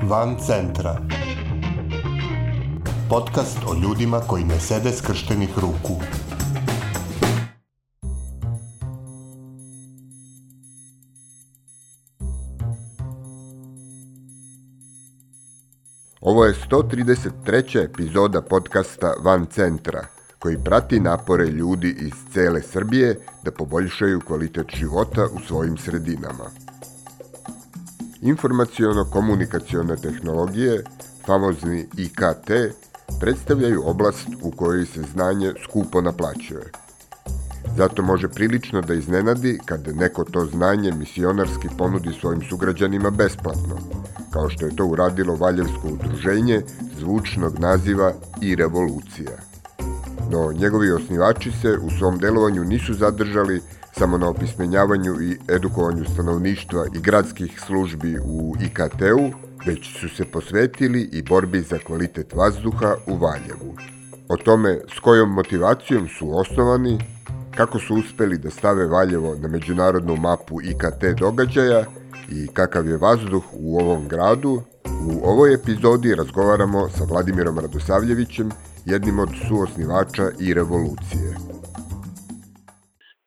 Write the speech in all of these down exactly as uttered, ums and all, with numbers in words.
Van centra. Podcast o ljudima koji ne sede skrštenih ruku. Ovo je sto trideset treća epizoda podcasta Van centra, koji prati napore ljudi iz cele Srbije da poboljšaju kvalitet života u svojim sredinama. Informaciono-komunikacione tehnologije, famozni I K T, predstavljaju oblast u kojoj se znanje skupo naplaćuje. Zato može prilično da iznenadi kad neko to znanje misionarski ponudi svojim sugrađanima besplatno, kao što je to uradilo Valjevsko udruženje zvučnog naziva I revolucija. No, njegovi osnivači se u svom delovanju nisu zadržali samo na opismenjavanju i edukovanju stanovništva i gradskih službi u I K T-u, već su se posvetili i borbi za kvalitet vazduha u Valjevu. O tome s kojom motivacijom su osnovani, kako su uspeli da stave Valjevo na međunarodnu mapu I K T događaja i kakav je vazduh u ovom gradu, u ovoj epizodi razgovaramo sa Vladimirom Radosavljevićem, jednim od suosnivača I revolucije.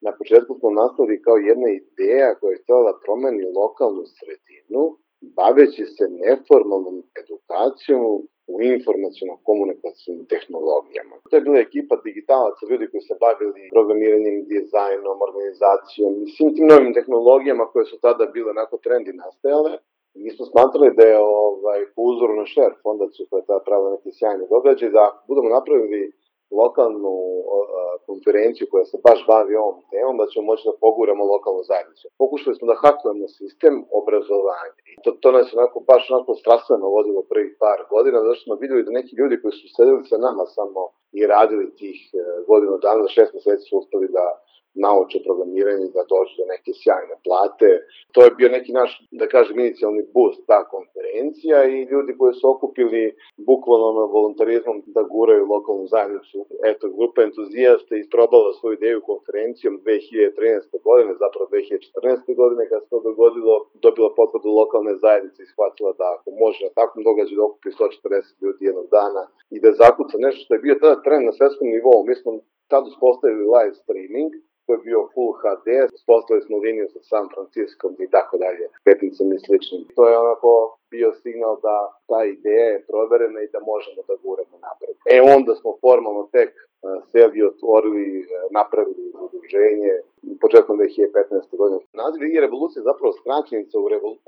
Na početku smo nastali kao jedna ideja koja je htjela da promeni lokalnu sredinu, baveći se neformalnom edukacijom u informaciono-komunikacijnim tehnologijama. To je bila ekipa digitalaca, ljudi koji se bavili programiranjem, dizajnom, organizacijom i svim tim novim tehnologijama koje su tada bile onako trendi nastajale. Mi smo smatrali da je ovaj, po uzoru na Share fondaciju koja je tada pravila neki sjajni događaj, da budemo napravili lokalnu uh, konferenciju koja se baš bavi ovom temom, da ćemo moći da poguramo lokalnu zajednicu. Pokušali smo da hakujemo sistem obrazovanja. I to, to nas onako, baš onako strastveno vodilo prvih par godina, zato što smo vidjeli da neki ljudi koji su sedeli sa nama samo i radili tih uh, godinu dana, za šest mjeseci su uspeli da nauče programiranje, da dođu do neke sjajne plate. To je bio neki naš, da kažem, inicijalni boost, ta konferencija, i ljudi koji su okupili bukvalno voluntarizmom da guraju lokalnu zajednicu. Eto, grupa entuzijasta isprobala svoju ideju konferencijom dve hiljade trinaeste. godine, zapravo dve hiljade četrnaeste. godine, kad se to dogodilo, dobila potvrdu lokalne zajednice i shvatila da ako može na takvom događaju da okupi sto četrdeset ljudi jednog dana i da zakuca nešto što je bio tada trend na svetskom nivou. Mi smo tada uspostavili live streaming, koji je bio full H D, uspostavili smo liniju sa San Franciskom i tako dalje, petnicama i sličnim. To je onako bio signal da ta ideja je proverena i da možemo da guramo napred. E onda smo formalno tek uh, sebi otvorili, uh, napravili udruženje početkom dve hiljade petnaeste. godine. Naziv I revolucija je zapravo skraćenica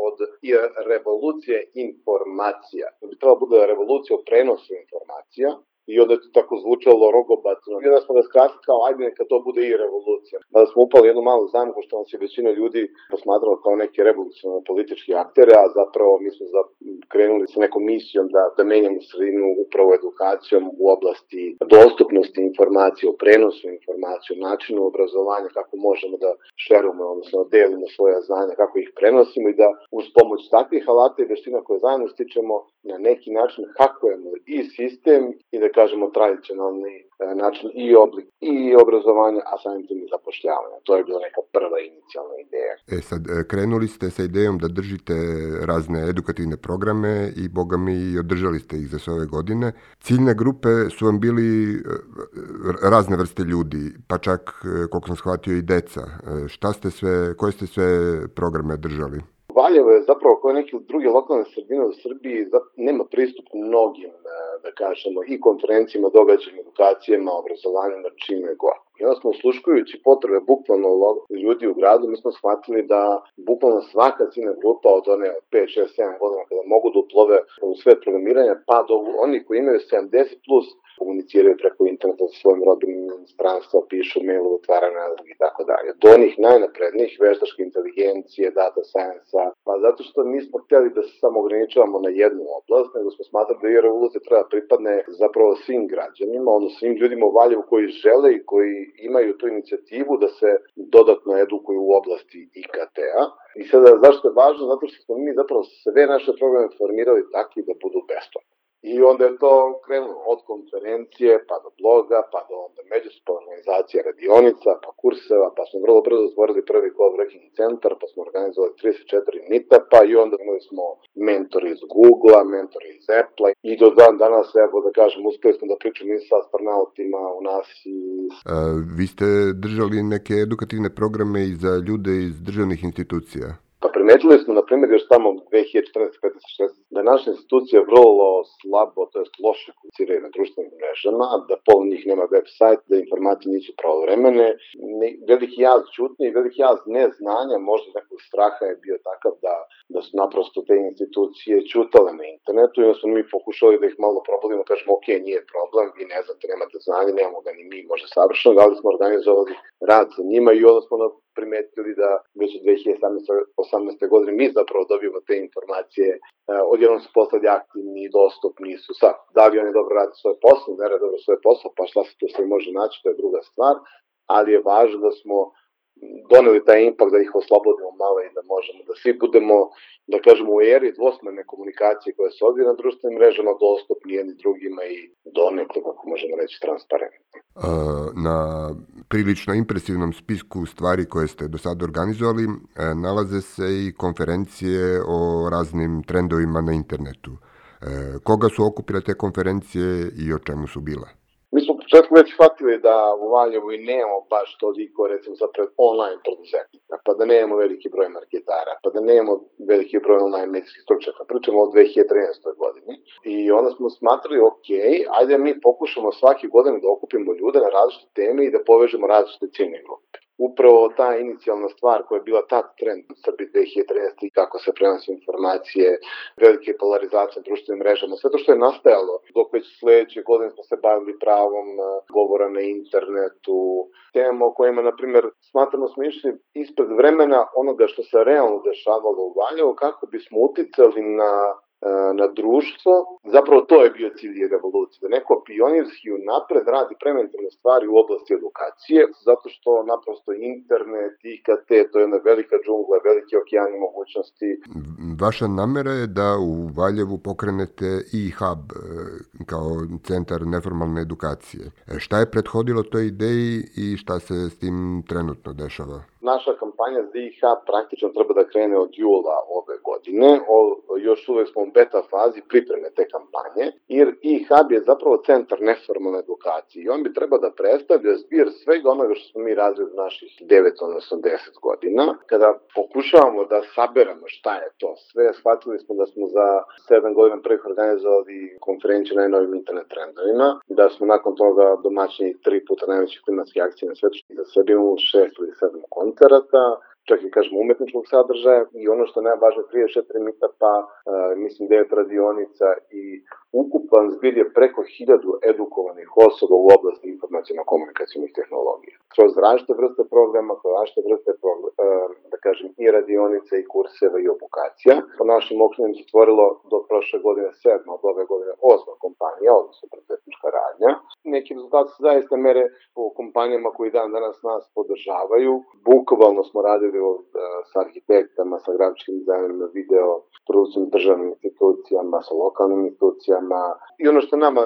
od I revolucije informacija. To bi trebalo bude revolucija o prenosu informacija. I onda je to tako zvučalo rogobatno. I onda smo ga skratili kao, ajde neka to bude I revolucija. Da smo upali jednu malu zamku što nas je većina ljudi posmatrala kao neke revolucionarne politički aktere, a zapravo mi smo krenuli sa nekom misijom da, da menjamo sredinu upravo edukacijom u oblasti dostupnosti informacije, o prenosu informacije, o načinu obrazovanja, kako možemo da šerujemo, odnosno delimo svoja znanja, kako ih prenosimo i da uz pomoć takvih alata i veština koje zajedno stičemo na neki način hakujemo i sistem i da kažemo tradicionalni e, način i oblik i obrazovanja, a samim tim i zapošljavanja. To je bila neka prva inicijalna ideja. E sad, krenuli ste sa idejom da držite razne edukativne programe i boga mi i održali ste ih za sve ove godine. Ciljne grupe su vam bili razne vrste ljudi, pa čak, koliko sam shvatio, i deca. Šta ste sve, koje ste sve programe držali? Valjevo je zapravo kao neke druge lokalne sredine u Srbiji nema pristup mnogim, da kažemo, i konferencijama, događajima, edukacijama, obrazovanjima, čime god. I onda smo usluškujući potrebe bukvalno ljudi u gradu, mi smo shvatili da bukvalno svaka ciljna grupa od one pet, šest, sedam godina kada mogu da uplove u svet programiranja, pa do oni koji imaju sedamdeset plus, komuniciraju preko interneta sa svojim rodbinom stranstva, pišu mail, otvaraju nalog i tako dalje. Do onih najnaprednijih, veštačke inteligencije, data science-a, pa zato što nismo htjeli da se samo ograničavamo na jednu oblast, nego smo smatrali da I revolucija treba pripadne zapravo svim građanima, odnosno svim ljudima u Valjevu koji žele i koji imaju tu inicijativu da se dodatno edukuju u oblasti I K T-a. I sada zašto je važno? Zato što smo mi zapravo sve naše programe formirali takvi da budu besplatni. I onda je to krenulo od konferencije, pa do bloga, pa do onda međusobne organizacije radionica, pa kurseva, pa smo vrlo brzo stvorili prvi coworking centar, pa smo organizovali trideset četiri meetupa i onda imali smo mentori iz Googlea, mentori iz Applea i do dan danas, evo da kažem, uspeli smo da pričamo i sa astronautima u nas i... A, vi ste držali neke edukativne programe i za ljude iz državnih institucija? Pa primetili smo, na primjer, još tamo dve hiljade četrnaeste, petnaeste, šesnaeste da naše institucije vrlo slabo, to jest loše komuniciraju na društvenim mrežama, da pola njih nema web sajt, da informacije nisu pravovremene. Veliki jaz ćutnje i veliki jaz neznanja, možda nekog straha je bio takav da, da su naprosto te institucije ćutale na internetu i onda smo mi pokušali da ih malo probudimo, kažemo ok, nije problem, vi ne znate, nemate znanje, nemamo ga ni mi možda savršeno, ali smo organizovali rad sa njima i onda smo primetili da već od dve hiljade sedamnaeste, osamnaeste godine mi zapravo dobijemo te informacije, odjednom su postali aktivni i dostupni su sad. Da li oni dobro rade svoj posao, ne rade dobro svoj posao, pa šta se tu sve može naći, to je druga stvar, ali je važno da smo doneli taj impact, da ih oslobodimo malo i da možemo da svi budemo, da kažemo, u eri dvosmerne komunikacije koje se odvija na društvenim mrežama, dostupni jedni drugima i donekle, kako možemo reći, transparentni. Na prilično impresivnom spisku stvari koje ste do sada organizovali nalaze se i konferencije o raznim trendovima na internetu. Koga su okupile te konferencije i o čemu su bile? Mi smo u početku već shvatili da u Valjevu i nemamo baš toliko, recimo, za online preduzetnika, pa da nemamo veliki broj marketara, pa da nemamo veliki broj online medijskih stručnjaka. Pričamo o dve hiljade trinaeste. godini. I onda smo smatrali, ok, ajde mi pokušamo svake godine da okupimo ljude na različite teme i da povežemo različite ciljne grupe. Upravo ta inicijalna stvar koja je bila tad trend u Srbiji dve hiljade trinaeste. i kako se prenosi informacije, velike polarizacije na društvenim mrežama, sve to što je nastajalo, dok već sledeće godine smo se bavili pravom govora na internetu, temama o kojima, na primjer, smatramo smo išli ispred vremena onoga što se realno dešavalo u Valjevu, kako bismo uticali na na društvo, zapravo to je bio cilj revolucije, da neko pionirski unapred radi preventivne stvari u oblasti edukacije, zato što naprosto internet, I K T, to je jedna velika džungla, velike okeani mogućnosti. Vaša namera je da u Valjevu pokrenete e-hub kao centar neformalne edukacije. Šta je prethodilo toj ideji i šta se s tim trenutno dešava? Naša kampanja za e-hub praktično treba da krene od jula ove godine. O, još uvek smo u beta fazi pripreme te kampanje, jer e-hub je zapravo centar neformalne edukacije i on bi treba da predstavlja zbir svega onoga što smo mi razvili u naših devet, odnosno deset godina. Kada pokušavamo da saberemo šta je to sve, shvatili smo da smo za sedam godina prvih organizovali konferenciju na najnovim internet trendovima, da smo nakon toga domaćini tri puta najvećih klimatskih akcija na svetu, da sve imamo šest ili sedam koncerata, čak i kažemo umetničkog sadržaja i ono što je najvažnije trideset četiri meetupa, uh, mislim devet radionica i ukupan zbir je preko hiljadu edukovanih osoba u oblasti informaciono-komunikacijnih tehnologija. Kroz različite vrste programa, kroz različite vrste programa, uh, da kažem i radionica i kurseva i obukacija. Po našim okrenjem se stvorilo do prošle godine sedma, od ove godine osma kompanija, odnosno preduzetnička radnja. Neki rezultati se zaista mere po kompanijama koji dan danas nas podržavaju. Bukvalno smo radili sa arhitektama, sa grafičkim dizajnerima, video produkcijom, državnim institucijama, sa lokalnim institucijama. I ono što je nama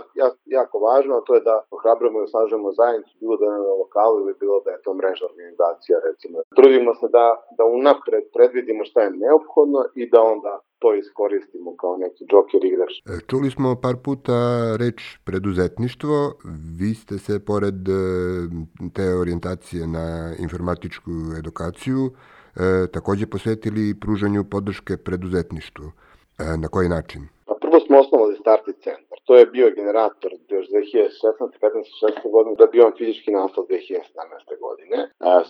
jako važno, to je da ohrabrujemo i osnažujemo zajednicu, bilo da je na lokalu ili bilo da je to mrežna organizacija, recimo. Trudimo se da, da unapred predvidimo šta je neophodno i da onda to iskoristimo kao neki džoker igrač. Čuli smo par puta reč preduzetništvo. Vi ste se, pored te orijentacije na informatičku edukaciju, takođe posvetili pružanju podrške preduzetništvu. Na koji način? Pa prvo smo osnovali Starti centar. To je bio generator još dve hiljade šesnaeste, petnaeste, šesnaeste godine, da bi on fizički nastao dve hiljade sedamnaeste. godine.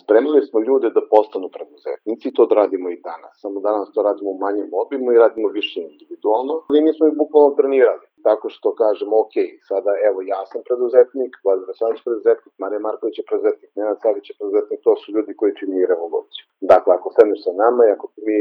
Spremili smo ljude da postanu preduzetnici, to radimo i danas. Samo danas to radimo u manjem obimu i radimo više individualno. Ali mi smo ih bukvalno trenirali. Tako što kažemo, ok, sada evo ja sam preduzetnik, Vladimir Sanić preduzetnik, Marija Marković je preduzetnik, Nenad Savić je preduzetnik, to su ljudi koji čini revoluciju. Dakle, ako sedneš sa nama i ako mi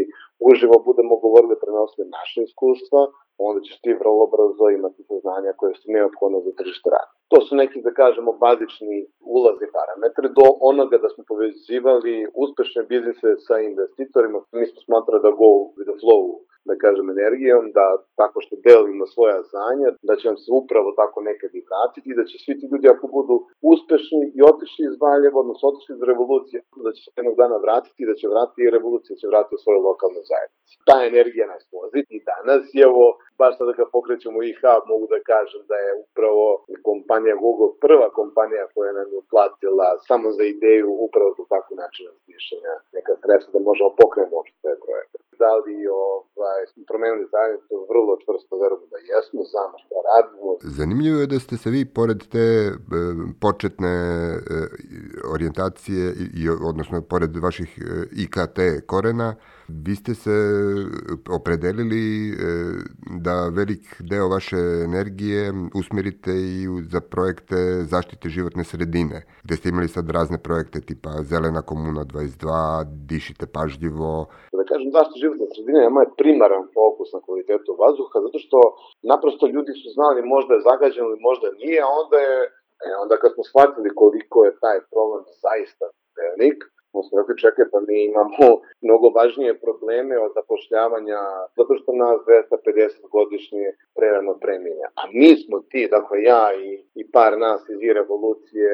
uživo budemo govorili, prenosili naše iskustva, onda ćeš ti vrlo brzo imati saznanja koje su neophodne za tržište rada. To su neki, da kažemo, bazični ulazni parametri do onoga da smo povezivali uspešne biznise sa investitorima. Mi smo smatrali da go with the flow da kažem, energijom, da tako što delimo svoja znanja, da će nam se upravo tako nekad i vratiti i da će svi ti ljudi ako budu uspešni i otišli iz Valjeva, odnosno otišli iz revolucije, da će se jednog dana vratiti i da će vratiti i revolucija će vratiti u svoju lokalnu zajednicu. Ta energija nas vozi i danas je ovo, baš sada kad pokrećemo I H, mogu da kažem da je upravo kompanija Google prva kompanija koja nam je uplatila samo za ideju upravo za takvu način razmišljanja neka sredstva da možemo pokrenuti uopšte taj projekat. Da li ovaj, promenili zajednicu, vrlo čvrsto verujem da jesmo, znamo što radimo. Zanimljivo je da ste se vi, pored te e, početne e, orijentacije, i, odnosno pored vaših e, I K T korena, vi ste se opredelili e, da velik deo vaše energije usmjerite i za projekte zaštite životne sredine, gdje ste imali sad razne projekte tipa Zelena komuna dvadeset dva, Dišite pažljivo. Da kažem, zaštita životne sredine je moj primaran fokus na kvalitetu vazduha, zato što naprosto ljudi su znali možda je zagađeno ili možda nije, a onda je, e, onda kad smo shvatili koliko je taj problem zaista velik, smo rekli, čekaj, pa mi imamo mnogo važnije probleme od zapošljavanja, zato što nas dvesta pedeset godišnje prerano preminja. A mi smo ti, dakle ja i, i par nas iz I revolucije,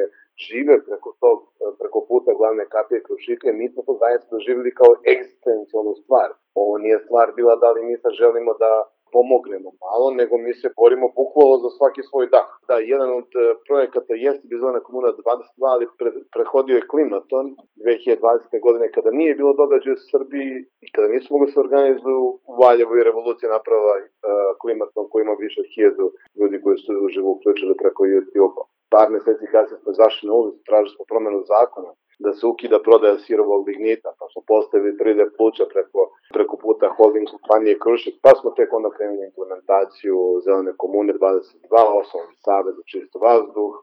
žive preko tog, preko puta glavne kapije Krušike, mi smo to zaista doživjeli kao egzistencijalnu stvar. Ovo nije stvar bila da li mi sad želimo da pomognemo malo, nego mi se borimo bukvalno za svaki svoj dah. Da, jedan od projekata jeste bi Zelena komuna dvadeset dva, ali pre, prehodio je klimaton dve hiljade dvadesete. godine kada nije bilo događaja u Srbiji i kada nisu mogli se organizuju u Valjevu i revolucija napravila uh, klimaton koji ima više od hiljadu ljudi koji su uživo uključili preko YouTube-a. Par meseci kasnije smo izašli na ulicu, tražili smo promenu zakona da se ukida prodaja sirovog lignita, pa smo postavili tri D pluća preko, preko puta holding kompanije Krušik, pa smo tek onda krenuli implementaciju Zelene komune dvadeset dva, osnovni savez za čist vazduh.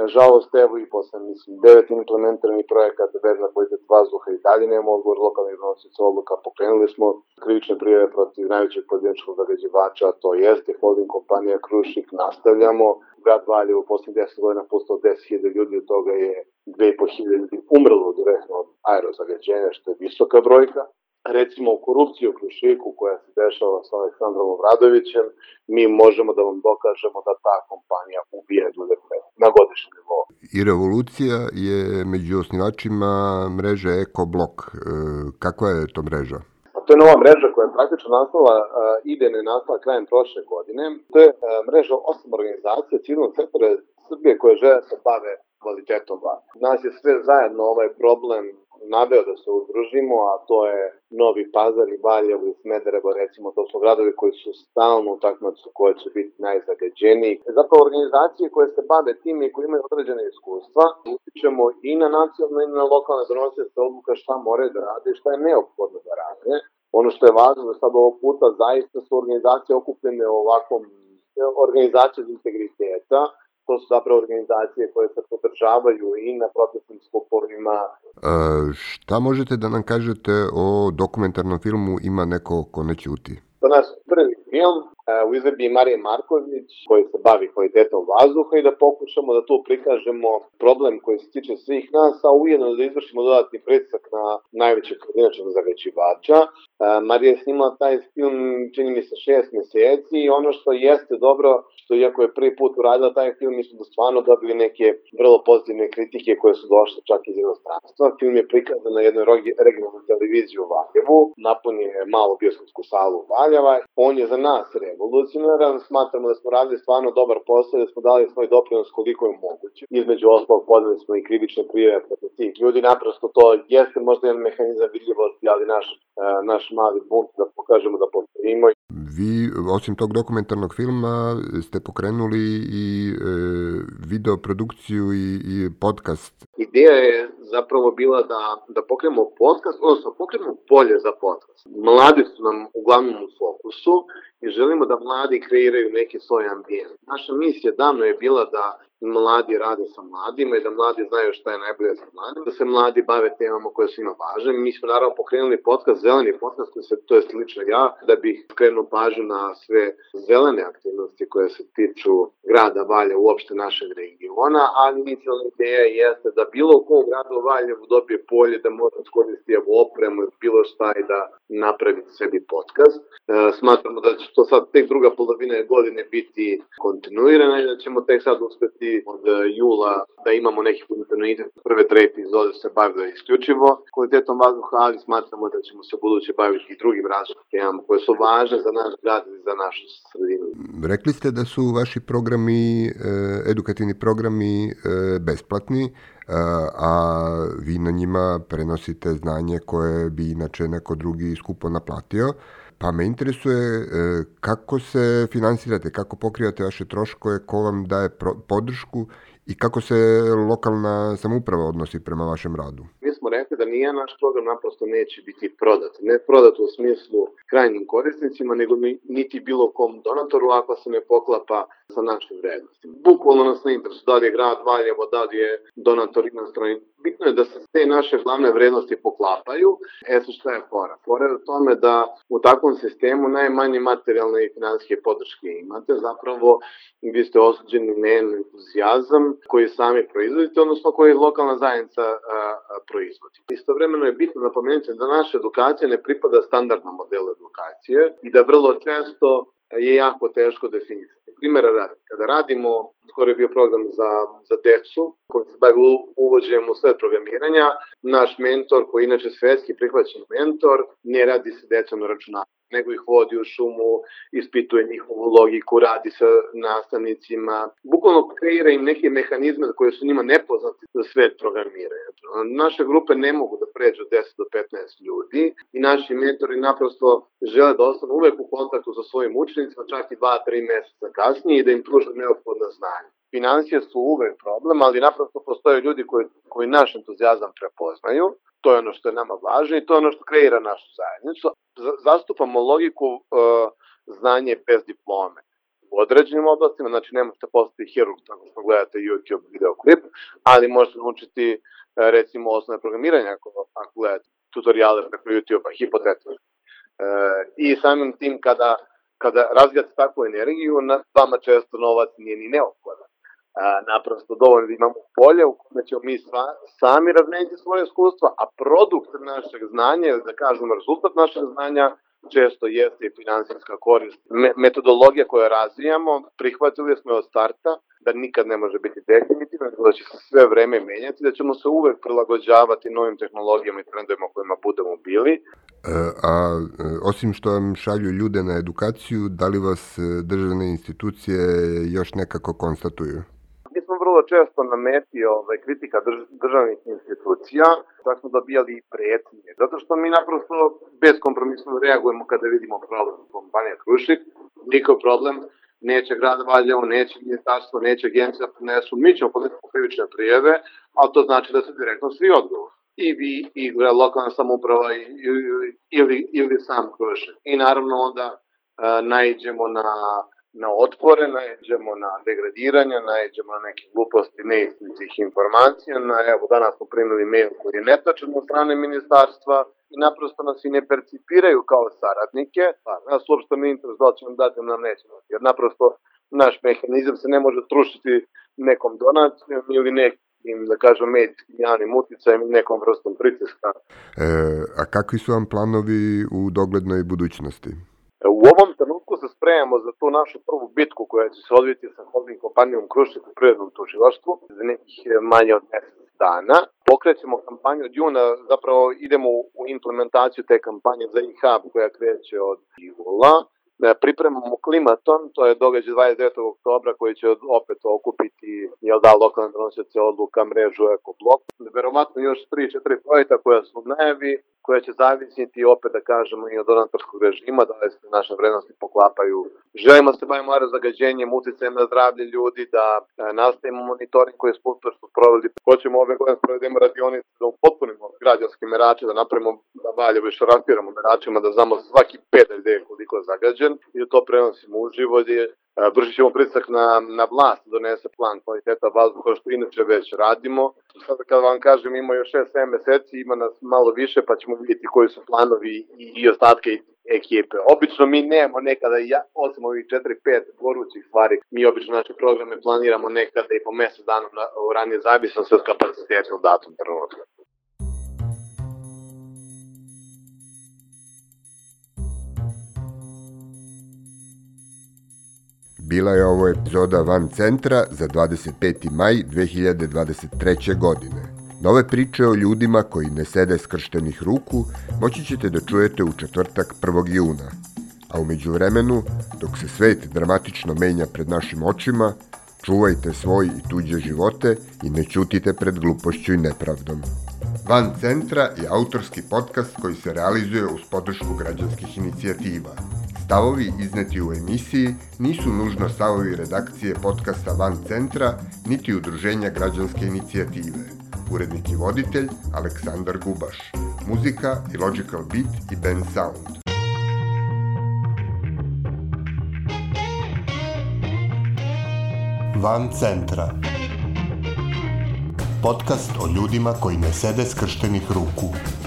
Nažalost, evo i posle, mislim, devet implementiranih projekata bez na kvalitet vazduha i dalje nema odgovor lokalnih donosioca odluka. Pokrenuli smo krivične prijave protiv najvećeg pojedinačnog zagađivača, to jeste holding kompanija Krušik, nastavljamo. Grad Valjevo u poslednjih deset godina postao deset hiljada ljudi, od toga je dve i po hiljade ljudi umrlo direktno od aerozagađenja, što je visoka brojka. Recimo korupciju u Krušiku koja se dešava sa Aleksandrom Obradovićem, mi možemo da vam dokažemo da ta kompanija ubije ljude na godišnjem nivou. I revolucija je među osnivačima mreže EkoBlok. Kakva je to mreža? To je nova mreža koja je praktično nastala, idejno je nastala krajem prošle godine. To je mreža osam organizacija civilnog sektora Srbije koje žele se bave kvalitetom vazduha. Nas je sve zajedno ovaj problem naveo da se udružimo, a to je Novi Pazar i Valjevo i Smederevo, recimo, to su gradovi koji su stalno u takmicu koje će biti najzagađeniji. Zapravo organizacije koje se bave tim i koji imaju određene iskustva, utičemo i na nacionalne i na lokalne donosioce odluka šta moraju da rade i šta je neophodno da rade. Ono što je važno da sad ovog puta zaista su organizacije okupljene u ovakvom organizaciju integriteta. To su zapravo organizacije koje se podržavaju i na protestnim skupovima. E, šta možete da nam kažete o dokumentarnom filmu Ima neko ko ne ćuti? To je naš prvi film u izvedbi Marije Marković koji se bavi kvalitetom vazduha i da pokušamo da tu prikažemo problem koji se tiče svih nas, a ujedno da izvršimo dodatni pritisak na najvećeg pojedinačnog zagađivača. Marija je snimala taj film, čini mi se, šest meseci i ono što jeste dobro, što iako je prvi put uradila taj film, mi smo da stvarno dobili neke vrlo pozitivne kritike koje su došle čak iz inostranstva. Film je prikazan na jednoj regionalnoj televiziji u Valjevu, napunio je malu bioskopsku salu Valjeva. On je za nas revolucionaran, smatramo da smo radili stvarno dobar posao, da smo dali svoj doprinos koliko je moguće. Između ostalog podali smo i krivične prijave protiv tih ljudi, naprosto to jeste možda jedan mehanizam vidljivosti, ali naš, naš mali bunt da pokažemo da postojimo. Vi, osim tog dokumentarnog filma, ste pokrenuli i e, video produkciju i, i podcast. Ideja je zapravo bila da, da pokrenemo podcast, odnosno pokrenemo polje za podcast. Mladi su nam uglavnom u fokusu i želimo da mladi kreiraju neki svoj ambijent. Naša misija davno je bila da mladi rade sa mladima i da mladi znaju šta je najbolje sa mladima, da se mladi bave temama koje su ima važne. Mi smo naravno pokrenuli podcast, zeleni podcast, koji se, to je slično ja, da bih skrenuo pažnju na sve zelene aktivnosti koje se tiču grada Valjevo, uopšte našeg regiona, ali inicijalna ideja jeste da bilo ko u gradu Valjevu dobije polje, da može iskoristiti opremu, bilo šta i da napravi sebi podcast. E, smatramo da će to sad tek druga polovina godine biti kontinuirana i da ćemo tek sad uspeti od jula da imamo neki kontinuitet. Prve tre epizode se bavile isključivo kvalitetom vazduha, ali smatramo da ćemo se buduće baviti i drugim različitim temama koje su važne za naš grad i za našu sredinu. Rekli ste da su vaši programi, edukativni programi besplatni, a vi na njima prenosite znanje koje bi inače neko drugi skupo naplatio. Pa me interesuje kako se finansirate, kako pokrivate vaše troškove, ko vam daje podršku i kako se lokalna samouprava odnosi prema vašem radu. Mi smo rekli da nije naš program naprosto neće biti prodat. Ne prodat u smislu krajnjim korisnicima, nego niti bilo kom donatoru ako se ne poklapa sa našim vrednostima. Bukvalno nas ne interesuje da li je grad Valjevo, da li je donator inostrani. Bitno je da se te naše glavne vrednosti poklapaju. E sad šta je fora? Fora je u tome da u takvom sistemu najmanje materijalne i finansijske podrške imate. Zapravo vi ste osuđeni na entuzijazam koji sami proizvodite, odnosno koji lokalna zajednica a, a, proizvodi. Istovremeno je bitno napomenuti da naša edukacija ne pripada standardnom modelu edukacije i da vrlo često je jako teško definisati. Primjera radi, kada radimo, skoro je bio program za, za decu, koji se bavi uvođenjem u svet programiranja, naš mentor, koji je inače svetski prihvaćen mentor, ne radi se decom na računaru, nego ih vodi u šumu, ispituje njihovu logiku, radi sa nastavnicima, bukvalno kreira im neke mehanizme koje su njima nepoznati za svet programiranja. Naše grupe ne mogu da pređu deset do petnaest ljudi i naši mentori naprosto žele da ostanu uvek u kontaktu sa svojim učenicima, čak i dva do tri meseca kasnije i da im pruže neophodna znanja. Financije su uvek problem, ali naprosto postoje ljudi koji, koji naš entuzijazam prepoznaju. To je ono što je nama važno i to je ono što kreira našu zajednicu. Zastupamo logiku uh, znanje bez diplome u određenim oblastima, znači ne možete postati hirurg tako što gledate YouTube videoklip, ali možete naučiti uh, recimo osnovne programiranja ako, ako gledate tutoriale preko YouTube-a, hipotetično. Uh, I samim tim kada, kada razvijate takvu energiju, na vama često novac nije ni neophodan. A, naprosto dovoljno da imamo polje u kome ćemo mi sva, sami razmeniti svoje iskustva, a produkt našeg znanja, da kažemo rezultat našeg znanja, često jeste i finansijska korist. Me, metodologija koju razvijamo, prihvatili smo od starta da nikad ne može biti definitivno, da će se sve vreme menjati, da ćemo se uvek prilagođavati novim tehnologijama i trendovima kojima budemo bili. E, a osim što vam šalju ljude na edukaciju, da li vas državne institucije još nekako konstatuju? Mi smo vrlo često na meti ovaj, kritika drž, državnih institucija, tako smo dobijali i pretnje, zato što mi naprosto beskompromisno reagujemo kada vidimo problem kompanije Krušik, niko problem, neće grad Valjevo, neće ministarstvo, neće agencija da prinesu, mi ćemo podneti krivične prijave, ali to znači da se direktno svi odgovor. I vi, i lokalna samouprava, ili, ili sam Krušik. I naravno onda uh, naiđemo na na otpore, naiđemo na degradiranje, naiđemo na neke gluposti, neistinitih informacija. Na, evo, danas smo primili mail koji je netačan od strane ministarstva i naprosto nas i ne percipiraju kao saradnike. Pa, nas uopšte ne interes da li će nam dati, nam neće dati. Jer naprosto naš mehanizam se ne može trušiti nekom donacijom ili nekim, da kažem, medijskim javnim uticajem i nekom vrstom pritiska. E, a kakvi su vam planovi u doglednoj budućnosti? U ovom trenutku se spremamo za tu našu prvu bitku koja će se odviti sa holding kompanijom Krušik u privrednom tužilaštvu za nekih manje od mesec dana. Pokrećemo kampanju od juna, zapravo idemo u implementaciju te kampanje za e-hub koja kreće od jula. Pripremamo klimaton, to je događaj dvadeset devetog oktobra koji će opet okupiti jel da, lokalne donosioce odluka, mrežu, ekoblok. Verovatno još tri četiri projekta koja su u najavi, koja će zavisiti opet da kažemo i od donatorskog režima, da li se naše vrednosti poklapaju. Želimo se bavimo zagađenjem, uticajem na zdravlje ljudi, da nastavimo monitoring koji smo uspešno proveli. Hoćemo ove godine sprovedemo radionice da upotpunimo građanske merače, da napravimo da Valjevo i šarafiramo meračima, da znamo svaki pedalj gde je koliko je zagađen i da to prenosimo uživo, vršit ćemo pritisak na, na vlast da donese plan kvaliteta vazduha, što inače već radimo. Sad kad vam kažem, ima još šest sedam meseci, ima nas malo više, pa ćemo vidjeti koji su planovi i, i ostatke ekipe. Obično mi nemamo nekada, osim ovih četiri pet gorućih stvari, mi obično naše programe planiramo nekada i po mesec dana ranije, zavisno se od kapaciteta u datom trenutku. Bila je ovo epizoda Van Centra za dvadeset peti maj dve hiljade dvadeset treće. godine. Nove priče o ljudima koji ne sede skrštenih ruku moći ćete da čujete u četvrtak prvog juna. A u međuvremenu, dok se svet dramatično menja pred našim očima, čuvajte svoj i tuđe živote i ne ćutite pred glupošću i nepravdom. Van Centra je autorski podcast koji se realizuje uz podršku građanskih inicijativa. Stavovi izneti u emisiji nisu nužno stavovi redakcije podcasta Van Centra, niti udruženja građanske inicijative. Urednik i voditelj Aleksandar Gubaš. Muzika i Logical Beat i Ben Sound. Van Centra. Podcast o ljudima koji ne sede skrštenih ruku.